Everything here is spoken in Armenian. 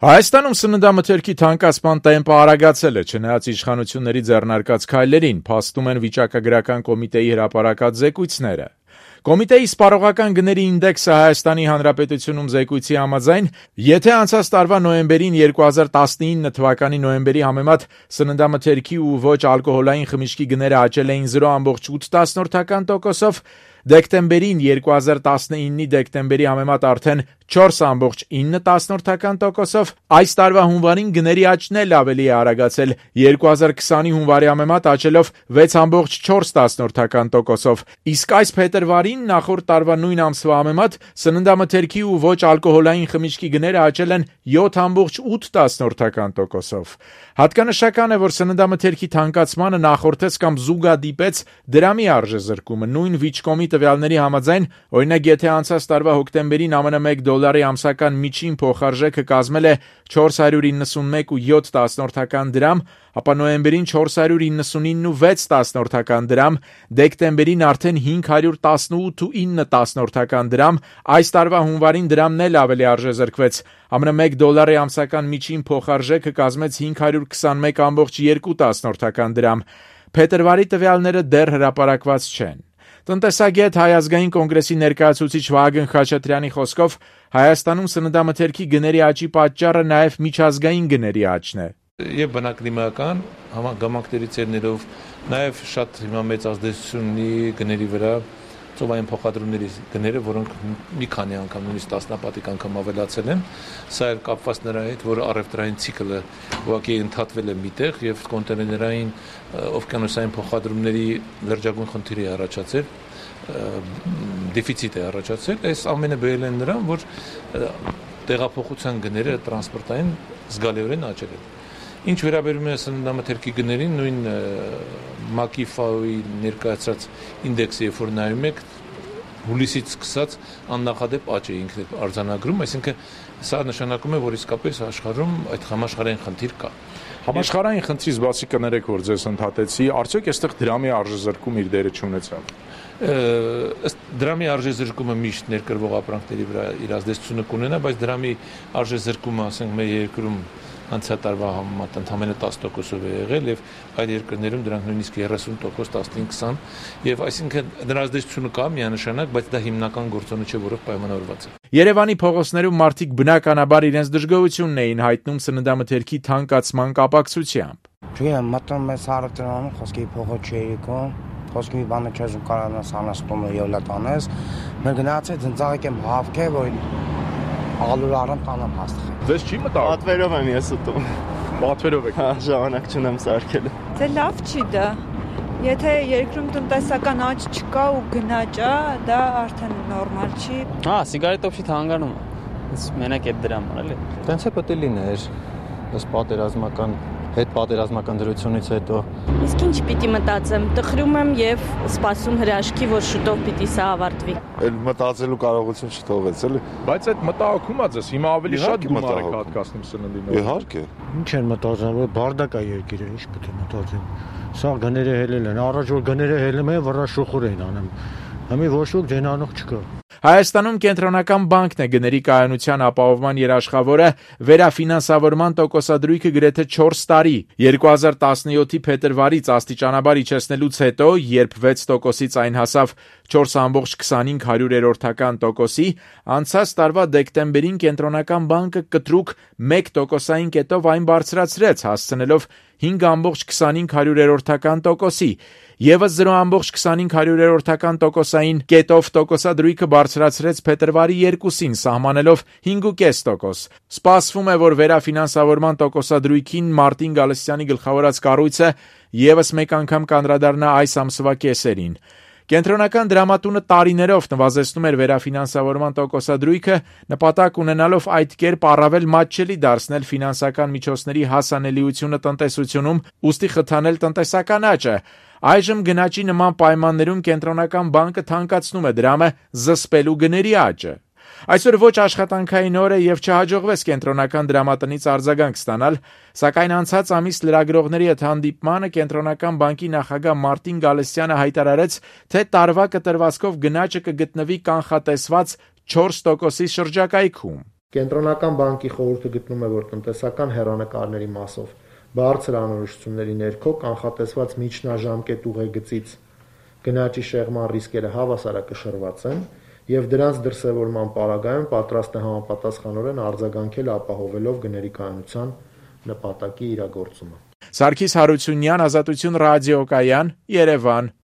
Հայաստանում սննդամթերքի թանկացման տեմպը արագացել է, չնայած իշխանությունների ձեռնարկած քայլերին, փաստում են վիճակագրական կոմիտեի հրապարակած զեկույցները։ Կոմիտեի սպառողական գների ինդեքսը Հայաստանի Հանրապետությունում զեկույցի համաձայն, եթե անցած տարվա նոյեմբերին 2019 թվականի նոյեմբերի համեմատ սննդամթերքի ու ոչ ալկոհոլային խմիչքի գները աճել էին 0,8%, դեկտեմբերին 2019-ի դեկտեմբերի համեմատ արդեն 4,9%, այս տարվա հունվարին գների աճն էլ ավելի է արագացել 2020-ի հունվարի համեմատ աճելով 6,4%, իսկ այս փետրվարին նախորդ տարվա նույն ամսվա համեմատ սննդամթերքի ու ոչ ալկոհոլային խմիչքի գները աճել են 7,8%։ Հատկանշական է, որ սննդամթերքի թանկացմանը նախորդեց կամ զուգադիպեց դրամի արժեզրկումը։ Նույն Վիճկոմի տվյալների համաձայն, օրինակ, եթե անցած տարվա հոկտեմբերին ԱՄՆ $1 ամսական միջին փոխարժեքը կազմել է 491,7 դրամ, ապա նոյեմբերին 499,6 դրամ, դեկտեմբերին արդեն 518,9 դրամ, այս տարվա հունվարին դրամն էլ ավելի արժեզրկվեց։ ԱՄՆ $1 ամսական միջին փոխարժեքը կազմեց 521,2 դրամ։ Փետրվարի տվյալները դեռ հրապարակված չեն։ Տնտեսագետ Հայ ազգային կոնգրեսի ներկայացուցիչ Վահագն Խաչատրյանի խոսքով Հայաստանում սննդամթերքի գների աճի պատճառը նաև միջազգային գների աճն է։ Եվ բնակլիմայական համագամակների ծերներով նաև շատ հիմա մեծ ազդեցություն ունի գների վրա ծովային փոխադրումների գները, որոնք մի քանի անգամ, նույնիսկ տասնապատիկ անգամ ավելացել են։ Սա էլ կապված նրա հետ, որ առևտրային ցիկլը ուղղակի ընդհատվել է միտեղ եւ կոնտեյներային օվկիանոսային փոխադրումների լրջագույն խնդիր է առաջացել, դեֆիցիտ է առաջացել։ Այս ամենը բերել են նրան, որ տեղափոխության գները տրանսպորտային զգալիորեն աճել են։ Ինչ վերաբերում է սննդամթերքի գներին, նույն ՄԱԿ-ի ՖԱՕ-ի ներկայացրած ինդեքսը, երբ որ նայում եք, հուլիսից սկսած աննախադեպ աճ է ինքն արձանագրում, այսինքն սա նշանակում է, որ իսկապես աշխարհում այդ համաշխարհային խնդիր կա։ Համաշխարհային խնդրից բացի կներեք, որ ձեզ ընդհատեցի, արդյոք այստեղ դրամի արժեզրկում իր դերը չունեցավ։ Ըստ դրամի արժեզրկումը միշտ ներկրվող ապրանքների վրա իր ազդեցությունը կունենա, բայց դրամի արժեզրկումը, ասենք, մեր երկրում անցյալ տարվա համեմատ ընդամենը 10%-ով է եղել եւ այլ երկրներում դրանք նույնիսկ 30%, 15-20 եւ այսինքն դրա ազդեցությունը կա միանշանակ, բայց դա հիմնական գործոնը չէ, որով պայմանավորված է։ Երևանի փողոցներում մարդիկ բնականաբար իրենց դժգոհությունն էին հայտնում սննդամթերքի թանկացման կապակցությամբ։ Չգիտեմ, մտնում ես հարավտերանում, խոսքի փողոց չի եկում, խոսքի մի բանը չես կարողանաս անաստում եւ լատանես։ Մենք գնացել ծնծաղիկ եմ հավքե, որ ալուր առամ տանամ հաստղ։ Ձեզ չի մտա։ Պատվերով եմ ես ուտում։ Պատվերով եք։ Հա, ժամանակ չունեմ սարքել։ Դե լավ չի դա։ Եթե երկրում տնտեսական աճ չկա ու գնաճ է, դա արդեն նորմալ չի։ Հա, սիգարետով չի թանկանում։ Մենակ այդ դրամն էլի։ Տենց է պետք է լիներ։ Ըստ պատերազմական հետպատերազմական դրությունից հետո։ Իսկ ինչ պիտի մտածեմ, տխրում եմ եւ սպասում հրաշքի, որ շուտով պիտի սա ավարտվի։ Էլ մտածելու կարողություն չթողեց, էլի։ Բայց այդ մտահոգում է ձեզ, հիմա ավելի շատ գումար եք հատկացնում սննդին։ Իհարկե։ Ինչ են մտածում, որ բարդակ է երկիրը, ինչ պետք է մտածեն։ Սա գները հելել են, առաջ որ գները հելում են, վրա շուխուր են անում։ Հիմա ոչ ոք դենանող չկա։ Հայաստանում կենտրոնական բանկն է գների կայունության ապահովման երաշխավորը, վերաֆինանսավորման տոկոսադրույքը գրեթե 4 տարի։ 2017-ի փետրվարից աստիճանաբար իջեցնելուց հետո, երբ 6%-ից այն հասավ 4,25%-ի, անցած տարվա դեկտեմբերին կենտրոնական բանկը կտրուկ 1%-ային կետով այն բարձրացրեց, հասցնելով 5,25%-ի։ Եվս 0,25%-ային կետով տոկոսադրույքը բարձրացրեց փետրվարի 2-ին, սահմանելով 5,5%։ Սպասվում է, որ վերաֆինանսավորման տոկոսադրույքին Մարտին Գալստյանի գլխավորած կառույցը եւս մեկ անգամ կանդրադառնա այս ամսվա կեսերին։ Կենտրոնական դրամատունը տարիներով նվազեցնում էր վերաֆինանսավորման տոկոսադրույքը, նպատակ ունենալով այդ կերպ առավել մատչելի դարձնել ֆինանսական միջոցների հասանելիությունը տնտեսությունում, ուստի խթանել տնտեսական աճը։ Այժմ գնաճի նման պայմաններում կենտրոնական բանկը թանկացնում է դրամը զսպելու գների աճը։ Այսօր ոչ աշխատանքային օր է եւ չհաջողվեց կենտրոնական դրամատնից արձագանք ստանալ, սակայն անցած ամիս լրագրողների հետ հանդիպմանը կենտրոնական բանկի նախագահ Մարտին Գալստյանը հայտարարեց, թե տարվա կտրվածքով գնաճը կգտնվի կանխատեսված 4%-ի շրջակայքում։ Կենտրոնական բանկի խորհուրդը գտնում է, որ տնտեսական հեռանկարների մասով բարձր անորոշությունների ներքո կանխատեսված միջնաժամկետ ուղեգծից գնաճի շեղման ռիսկերը հավասարակշռված են եւ դրանց դրսեւորման պարագայում պատրաստ է համապատասխանորեն արձագանքել ապահովելով գների կայունության նպատակի իրագործումը։ Սարգիս Հարությունյան, Ազատություն ռադիոկայան, Երևան։